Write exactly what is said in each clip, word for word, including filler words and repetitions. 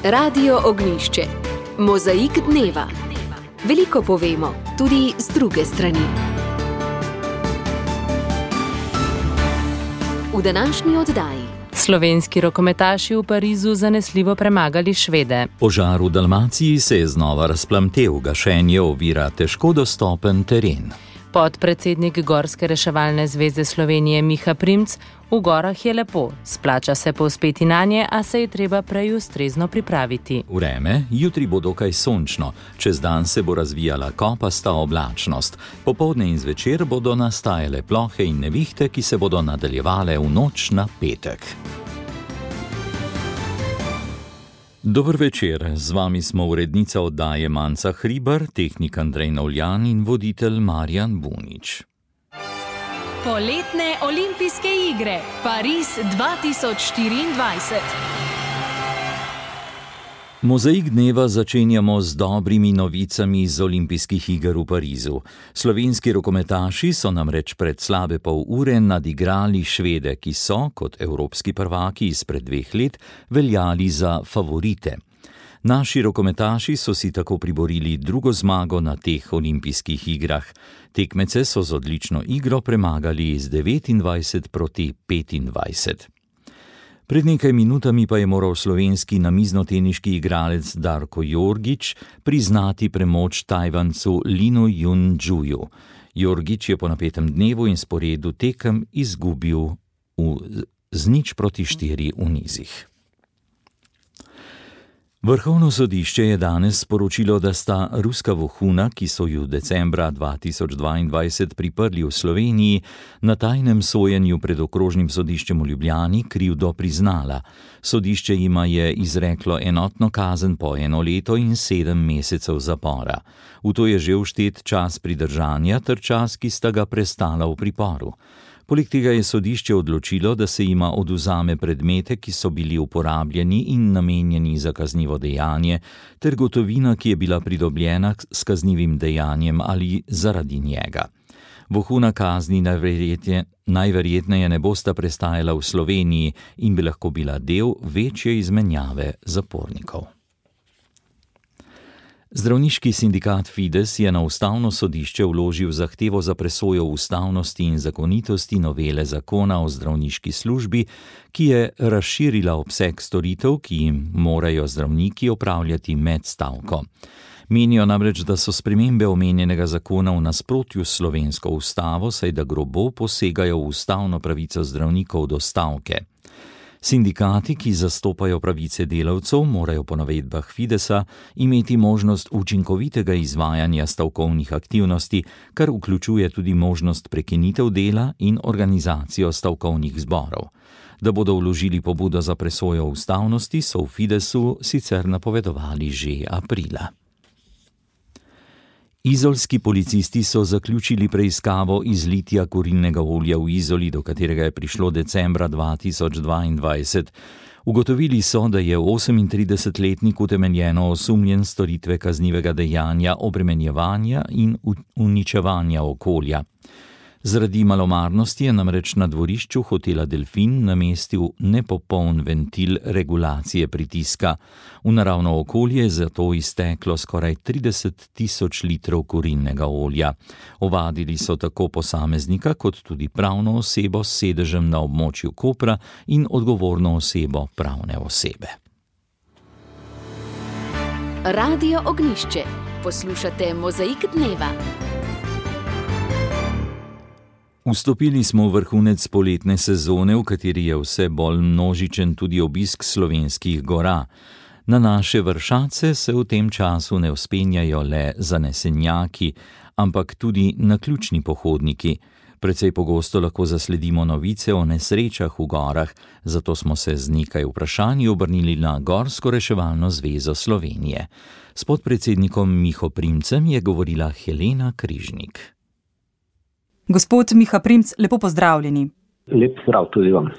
Radio Ognjišče. Mozaik dneva. Veliko povemo, tudi z druge strani. V današnji oddaji. Slovenski rokometaši v Parizu zanesljivo premagali Švede. Požar v Dalmaciji se je znova razplamtel, gašenje ovira težko dostopen teren. Podpredsednik Gorske reševalne zveze Slovenije Miha Primc: v gorah je lepo, splača se povzpeti nanje, a se je treba prej ustrezno pripraviti. Vreme, jutri bo dokaj sončno, čez dan se bo razvijala kopasta oblačnost. Popoldne in zvečer bodo nastajale plohe in nevihte, ki se bodo nadaljevale v noč na petek. Dober večer, z vami smo urednica oddaje Manca Hribar, tehnik Andrej Novljan in voditelj Marjan Bunič. Poletne olimpijske igre Pariz dva tisoč štiriindvajset. Mozaik dneva začenjamo z dobrimi novicami z olimpijskih iger v Parizu. Slovenski rokometaši so namreč pred slabe pol ure nadigrali Švede, ki so, kot evropski prvaki izpred dveh let, veljali za favorite. Naši rokometaši so si tako priborili drugo zmago na teh olimpijskih igrah. Tekmece so z odlično igro premagali z devetindvajset proti petindvajset. Pred nekaj minutami pa je moral slovenski namiznoteniški igralec Darko Jorgić priznati premoč Tajvancu Linu Junjuju. Jorgić je po napetem dnevu in sporedu tekem izgubil v, z nič proti štiri v nizih. Vrhovno sodišče je danes sporočilo, da sta ruska vohuna, ki so ju decembra dva tisoč dvaindvajset priprli v Sloveniji, na tajnem sojenju pred okrožnim sodiščem v Ljubljani krivdo priznala. Sodišče jima je izreklo enotno kazen po eno leto in sedem mesecev zapora. V to je že vštet čas pridržanja ter čas, ki sta ga prestala v priporu. Poleg tega je sodišče odločilo, da se jima odvzame predmete, ki so bili uporabljeni in namenjeni za kaznivo dejanje, ter gotovina, ki je bila pridobljena s kaznivim dejanjem ali zaradi njega. Vohuna kazni najverjetneje, najverjetneje ne bosta prestajala v Sloveniji in bi lahko bila del večje izmenjave zapornikov. Zdravniški sindikat Fides je na ustavno sodišče vložil zahtevo za presojo ustavnosti in zakonitosti novele zakona o zdravniški službi, ki je razširila obseg storitev, ki jim morajo zdravniki opravljati med stavko. Menijo namreč, da so spremembe omenjenega zakona v nasprotju s slovensko ustavo, saj da grobo posegajo v ustavno pravico zdravnikov do stavke. Sindikati, ki zastopajo pravice delavcev, morajo po navedbah Fidesa imeti možnost učinkovitega izvajanja stavkovnih aktivnosti, kar vključuje tudi možnost prekinitev dela in organizacijo stavkovnih zborov. Da bodo vložili pobudo za presojo ustavnosti, so v Fidesu sicer napovedovali že aprila. Izolski policisti so zaključili preiskavo izlitja kurilnega olja v Izoli, do katerega je prišlo decembra dva tisoč dvaindvajset. Ugotovili so, da je osemintridesetletnik utemeljeno osumljen storitve kaznivega dejanja obremenjevanja in uničevanja okolja. Zaradi malomarnosti je namreč na dvorišču hotela Delfin namestil nepopoln ventil regulacije pritiska. V naravno okolje je zato izteklo skoraj trideset tisoč litrov kurilnega olja. Ovadili so tako posameznika kot tudi pravno osebo s sedežem na območju Kopra in odgovorno osebo pravne osebe. Radio Ognjišče. Poslušate Mozaik dneva. Vstopili smo v vrhunec poletne sezone, v kateri je vse bolj množičen tudi obisk slovenskih gora. Na naše vršace se v tem času ne vzpenjajo le zanesenjaki, ampak tudi naključni pohodniki. Precej pogosto lahko zasledimo novice o nesrečah v gorah, zato smo se z nekaj vprašanji obrnili na Gorsko reševalno zvezo Slovenije. S podpredsednikom Miho Primcem je govorila Helena Križnik. Gospod Miha Primc, lepo pozdravljeni. Lep zdrav tudi vam.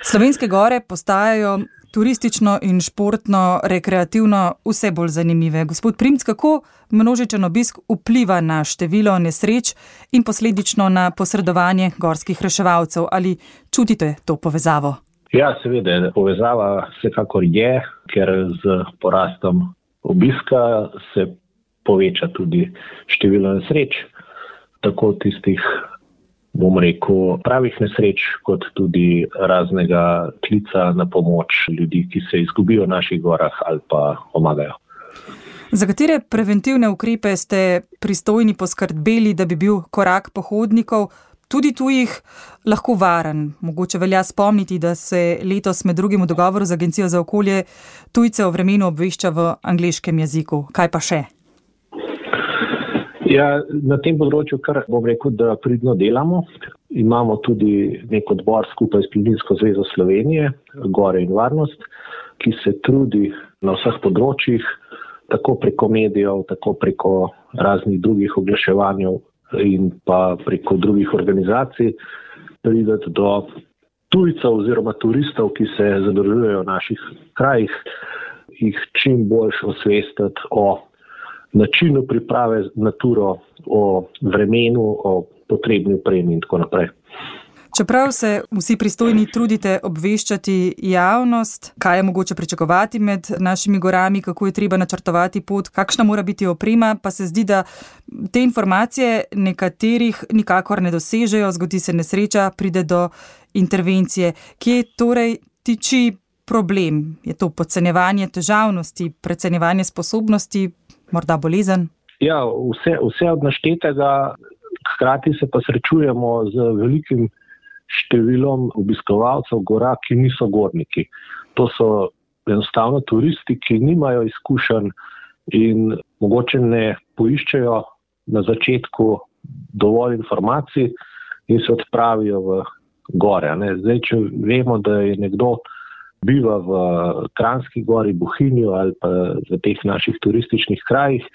Slovenske gore postajajo turistično in športno, rekreativno vse bolj zanimive. Gospod Primc, kako množičen obisk vpliva na število nesreč in posledično na posredovanje gorskih reševalcev? Ali čutite to povezavo? Ja, seveda, povezava vsekakor je, ker z porastom obiska se poveča tudi število nesreč, tako tistih, bom rekel, pravih nesreč, kot tudi raznega klica na pomoč ljudi, ki se izgubijo v naših gorah ali pa pomagajo. Za katere preventivne ukrepe ste pristojni poskrbeli, da bi bil korak pohodnikov, tudi tujih, lahko varen? Mogoče velja spomniti, da se letos med drugim v dogovoru z Agencijo za okolje tujce o vremenu obvešča v angleškem jeziku. Kaj pa še? Ja, na tem področju, kar bom rekel, da pridno delamo. Imamo tudi nek odbor skupaj s Planinsko zvezo Slovenije, Gore in varnost, ki se trudi na vseh področjih, tako preko medijev, tako preko raznih drugih oglaševanj in pa preko drugih organizacij, prideti do tujcev oziroma turistov, ki se zadržujejo v naših krajih, jih čim bolj osvestiti o načinu priprave na turo, o vremenu, o potrebni opremi in tako naprej. Čeprav se vsi pristojni trudite obveščati javnost, kaj je mogoče pričakovati med našimi gorami, kako je treba načrtovati pot, kakšna mora biti oprema, pa se zdi, da te informacije nekaterih nikakor ne dosežejo, zgodi se nesreča, pride do intervencije. Kje torej tiči problem? Je to podcenjevanje težavnosti, precenjevanje sposobnosti, morda bolezen? Ja, vse, vse od naštetega, hkrati se pa srečujemo z velikim številom obiskovalcev gora, ki niso gorniki. To so enostavno turisti, ki nimajo izkušenj in mogoče ne poiščejo na začetku dovolj informacij in se odpravijo v gore. Ne? Zdaj, če vemo, da je nekdo biva v Kranjski gori, Bohinju ali pa v teh naših turističnih krajih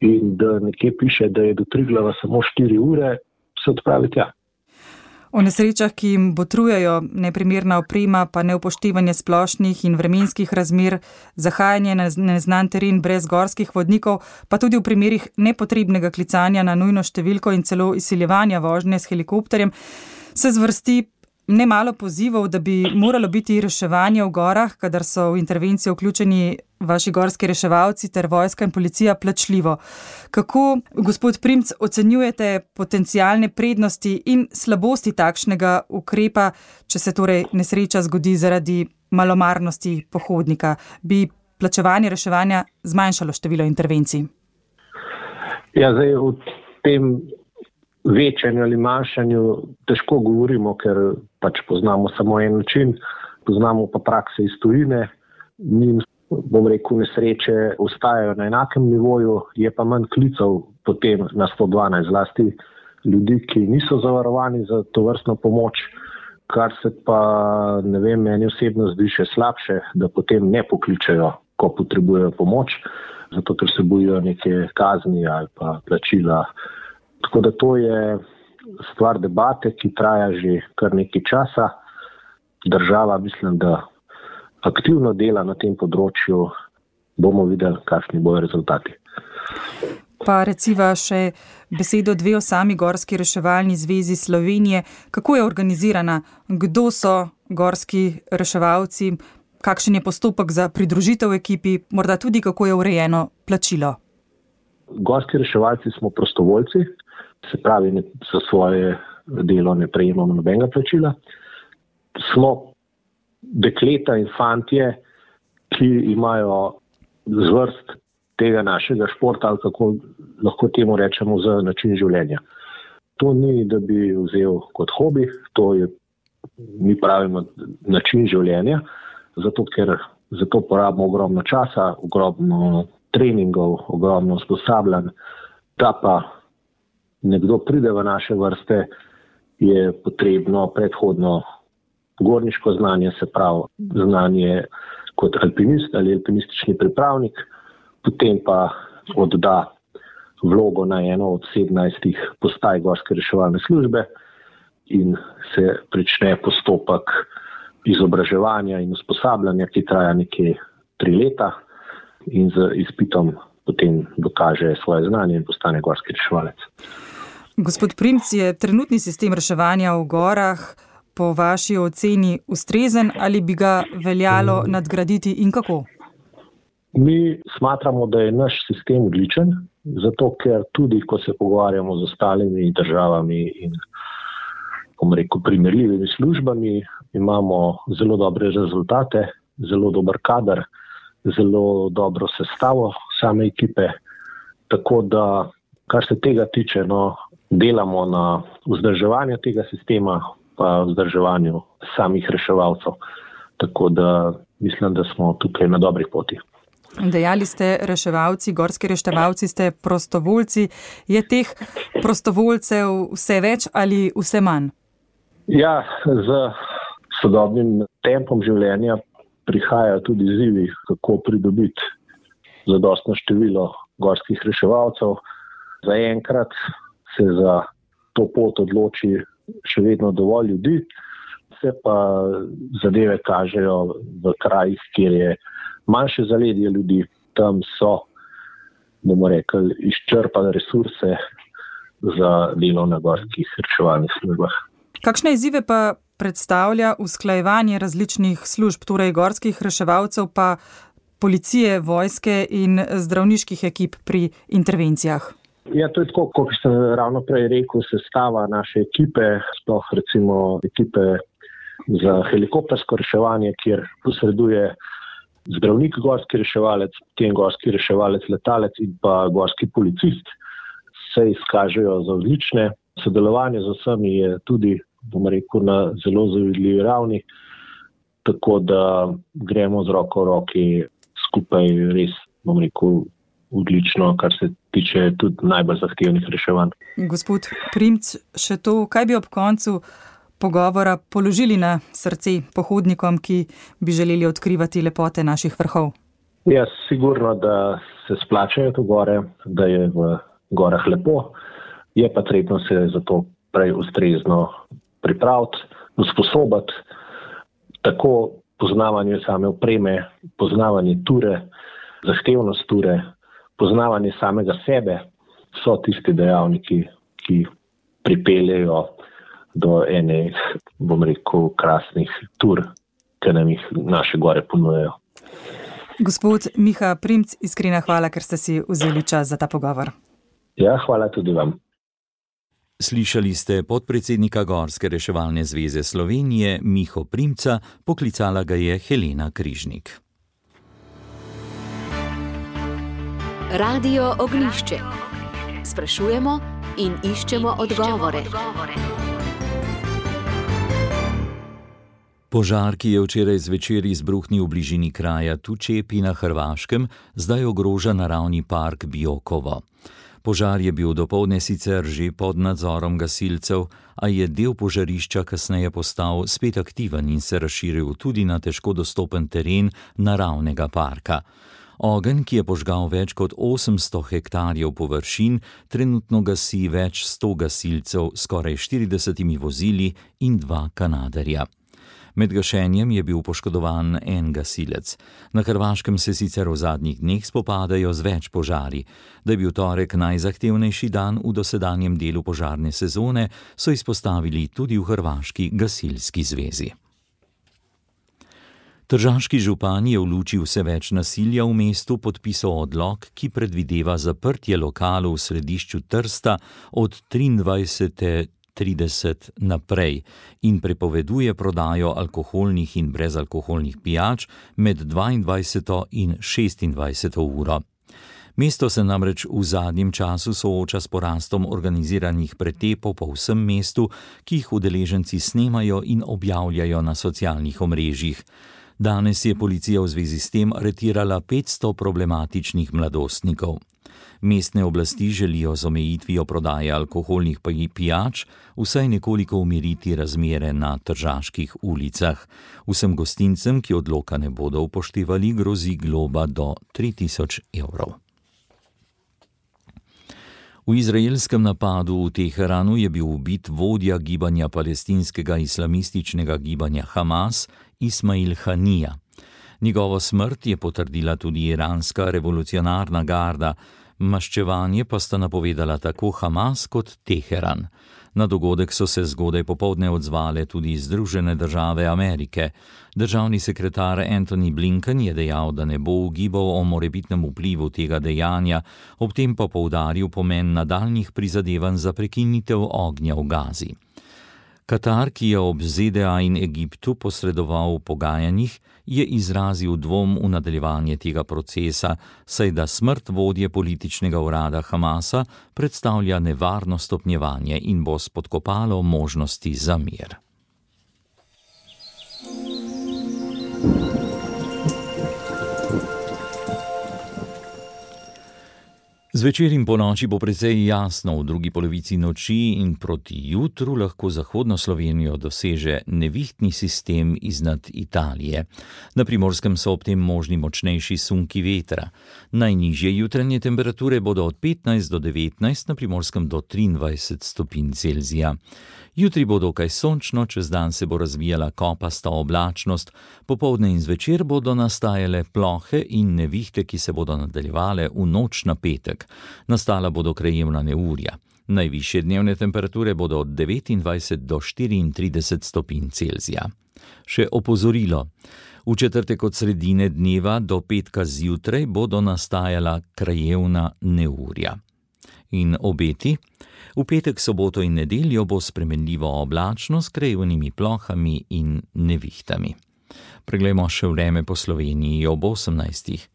in da nekje piše, da je do Triglava samo štiri ure, se odpravi tja. O nesrečah, ki jim botrujejo neprimerna oprema, pa neupoštevanje splošnih in vremenskih razmer, zahajanje na neznan teren brez gorskih vodnikov, pa tudi v primerih nepotrebnega klicanja na nujno številko in celo izsiljevanja vožnje s helikopterjem, se zvrsti nemalo pozivov, da bi moralo biti reševanje v gorah, kadar so v intervencijo vključeni vaši gorski reševalci ter vojska in policija, plačljivo. Kako, gospod Primc, ocenjujete potencialne prednosti in slabosti takšnega ukrepa, če se torej nesreča zgodi zaradi malomarnosti pohodnika? Bi plačevanje reševanja zmanjšalo število intervencij? Ja, zdaj v tem večanju ali manjšanju težko govorimo, ker pač poznamo samo en način, poznamo pa prakse iz tujine, njim, bom rekel, nesreče ostajajo na enakem nivoju, je pa manj klicev potem na sto dvanajst, zlasti ljudi, ki niso zavarovani za tovrstno pomoč, kar se pa, ne vem, meni osebno zdi še slabše, da potem ne pokličejo, ko potrebujejo pomoč, zato ker se bojijo neke kazni ali pa plačila. Tako da to je stvar debate, ki traja že kar nekaj časa. Država, mislim, da aktivno dela na tem področju, bomo videli, kakšni bojo rezultati. Pa reciva še besedo dve o sami Gorski reševalni zvezi Slovenije. Kako je organizirana? Kdo so gorski reševalci? Kakšen je postopek za pridružitev ekipi? Morda tudi, kako je urejeno plačilo? Gorski reševalci smo prostovoljci, se pravi, za svoje delo ne prejemamo nobenega plačila. Smo dekleta in fantje, ki imajo zvrst tega našega športa, ali kako lahko temu rečemo, za način življenja. To ni, da bi vzel kot hobi, to je, mi pravimo, način življenja, zato ker za to porabimo ogromno časa, ogromno treningov, ogromno usposabljanj. Da pa nekdo pride v naše vrste, je potrebno predhodno gorniško znanje, se pravi znanje kot alpinist ali alpinistični pripravnik, potem pa odda vlogo na eno od sedemnajstih postaj Gorske reševalne službe in se prične postopek izobraževanja in usposabljanja, ki traja nekje tri leta in z izpitom potem dokaže svoje znanje in postane gorski reševalec. Gospod Primc, je trenutni sistem reševanja v gorah po vaši oceni ustrezen ali bi ga veljalo nadgraditi in kako? Mi smatramo, da je naš sistem odličen, zato ker tudi, ko se pogovarjamo z ostalimi državami in bom rekel, primerljivimi službami, imamo zelo dobre rezultate, zelo dober kader, zelo dobro sestavo same ekipe, tako da, kar se tega tiče, no, delamo na vzdrževanju tega sistema, pa vzdrževanju samih reševalcev, tako da mislim, da smo tukaj na dobri poti. Dejali ste reševalci, gorski reševalci ste prostovoljci. Je teh prostovoljcev vse več ali vse manj? Ja, z sodobnim tempom življenja prihajajo tudi izzivi, kako pridobiti zadostno število gorskih reševalcev. Zaenkrat se za to pot odloči še vedno dovolj ljudi, se pa zadeve kažejo v krajih, kjer je manjše zaledje ljudi, tam so, bomo rekli, izčrpane resurse za delo na gorskih reševalnih službah. Kakšne izzive pa predstavlja usklajevanje različnih služb, torej gorskih reševalcev, pa policije, vojske in zdravniških ekip pri intervencijah? Ja, to je tako, kot sem ravno prej rekel, sestava naše ekipe, sploh recimo ekipe za helikoptersko reševanje, kjer posreduje zdravnik, gorski reševalec, potem gorski reševalec, letalec in pa gorski policist, se izkažejo za odlične. Sodelovanje z vsemi je tudi, bom rekel, na zelo zavidljivi ravni, tako da gremo z roko v roki skupaj res, bom rekel, odlično, kar se tiče tudi najbolj zahtevnih reševanj. Gospod Primc, še to, kaj bi ob koncu pogovora položili na srce pohodnikom, ki bi želeli odkrivati lepote naših vrhov? Ja, sigurno, da se splačajo to gore, da je v gorah lepo, je pa treba se za to prej ustrezno pripraviti, usposobiti, tako poznavanje same opreme, poznavanje ture, zahtevnost ture, poznavanje samega sebe, so tisti dejavniki, ki pripeljejo do ene, bom rekel, krasnih tur, ki nam jih naše gore ponujajo. Gospod Miha Primc, iskrena hvala, ker ste si vzeli čas za ta pogovor. Ja, hvala tudi vam. Slišali ste podpredsednika Gorske reševalne zveze Slovenije Miho Primca, poklicala ga je Helena Križnik. Radio Ognjišče. Sprašujemo in iščemo odgovore. Požar, ki je včeraj zvečer izbruhnil v bližini kraja Tučepi na Hrvaškem, zdaj ogroža naravni park Biokovo. Požar je bil dopoldne sicer že pod nadzorom gasilcev, a je del požarišča kasneje postal spet aktiven in se razširil tudi na težko dostopen teren naravnega parka. Ogenj, ki je požgal več kot osemsto hektarjev površin, trenutno gasi več sto gasilcev, skoraj štiridesetimi vozili in dva kanaderja. Med gašenjem je bil poškodovan en gasilec. Na Hrvaškem se sicer v zadnjih dneh spopadajo z več požari. Da je bil torek najzahtevnejši dan v dosedanjem delu požarne sezone, so izpostavili tudi v Hrvaški gasilski zvezi. Tržaški župan je v luči vse več nasilja v mestu podpisal odlok, ki predvideva zaprtje lokalov v središču Trsta od triindvajsete trideset naprej in prepoveduje prodajo alkoholnih in brezalkoholnih pijač med dvaindvajseto in šestindvajseto uro. Mesto se namreč v zadnjem času sooča s porastom organiziranih pretepov po vsem mestu, ki jih udeleženci snemajo in objavljajo na socialnih omrežjih. Danes je policija v zvezi s tem aretirala petsto problematičnih mladostnikov. Mestne oblasti želijo z omejitvijo prodaje alkoholnih pijač vsaj nekoliko umiriti razmere na tržaških ulicah. Vsem gostincem, ki odloka ne bodo upoštevali, grozi globa do tri tisoč evrov. V izraelskem napadu v Teheranu je bil ubit vodja gibanja palestinskega islamističnega gibanja Hamas, Ismail Hanija. Njegovo smrt je potrdila tudi iranska revolucionarna garda, maščevanje pa sta napovedala tako Hamas kot Teheran. Na dogodek so se zgodaj popoldne odzvale tudi Združene države Amerike. Državni sekretar Antony Blinken je dejal, da ne bo ugibal o morebitnem vplivu tega dejanja, ob tem pa poudaril pomen nadaljnjih prizadevanj za prekinitev ognja v Gazi. Katar, ki je ob ZDA in Egiptu posredoval v pogajanjih, je izrazil dvom v nadaljevanje tega procesa, saj da smrt vodje političnega urada Hamasa predstavlja nevarno stopnjevanje in bo spodkopalo možnosti za mir. Zvečer in ponoči bo precej jasno, v drugi polovici noči in proti jutru lahko zahodno Slovenijo doseže nevihtni sistem iznad Italije. Na Primorskem so ob tem možni močnejši sunki vetra. Najnižje jutranje temperature bodo od petnajst do devetnajst, na Primorskem do triindvajset stopinj Celzija. Jutri bo dokaj sončno, čez dan se bo razvijala kopasta oblačnost, popoldne in zvečer bodo nastajale plohe in nevihte, ki se bodo nadaljevale v noč na petek. Nastala bodo krajevna neurja. Najvišje dnevne temperature bodo od devetindvajset do štiriintrideset stopinj Celzija. Še opozorilo. V četrtek od sredine dneva do petka zjutraj bodo nastajala krajevna neurja. In obeti? V petek, soboto in nedeljo bo spremenljivo oblačno s krajevnimi plohami in nevihtami. Preglejmo še vreme po Sloveniji ob osemnajstih.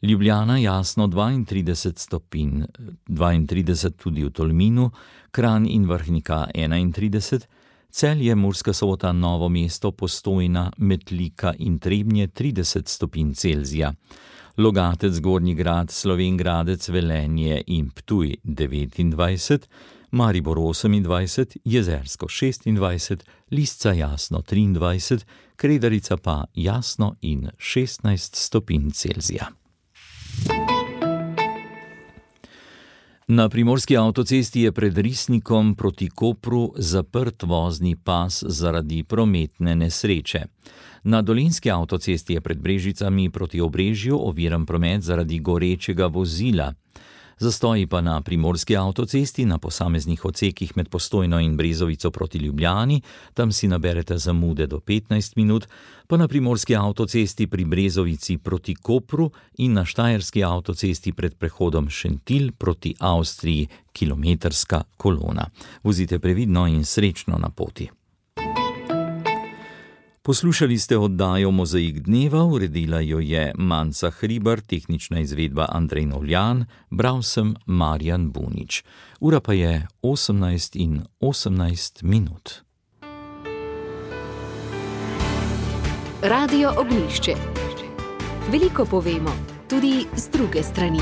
Ljubljana jasno dvaintrideset stopinj, dvaintrideset tudi v Tolminu, Kranj in Vrhnika enaintrideset, Celje, Murska Sobota, Novo mesto, Postojna, Metlika in Trebnje trideset stopinj Celzija. Logatec, Gornji Grad, Slovenj Gradec, Velenje in Ptuj devetindvajset, Maribor osemindvajset, Jezersko šestindvajset, Lisca jasno triindvajset, Kredarica pa jasno in šestnajst stopinj Celzija. Na primorski avtocesti je pred Risnikom proti Kopru zaprt vozni pas zaradi prometne nesreče. Na dolenjski avtocesti je pred Brežicami proti Obrežju oviran promet zaradi gorečega vozila. Zastoji pa na primorski avtocesti na posameznih odsekih med Postojno in Brezovico proti Ljubljani, tam si naberete zamude do petnajst minut, pa na primorski avtocesti pri Brezovici proti Kopru in na štajerski avtocesti pred prehodom Šentilj proti Avstriji kilometrska kolona. Vozite previdno in srečno na poti. Poslušali ste oddajo Mozaik dneva, uredila jo je Manca Hribar, tehnična izvedba Andrej Novljan, bral sem Marjan Bunič. Ura pa je osemnajst in osemnajst minut. Radio Ognjišče. Veliko povemo, tudi z druge strani.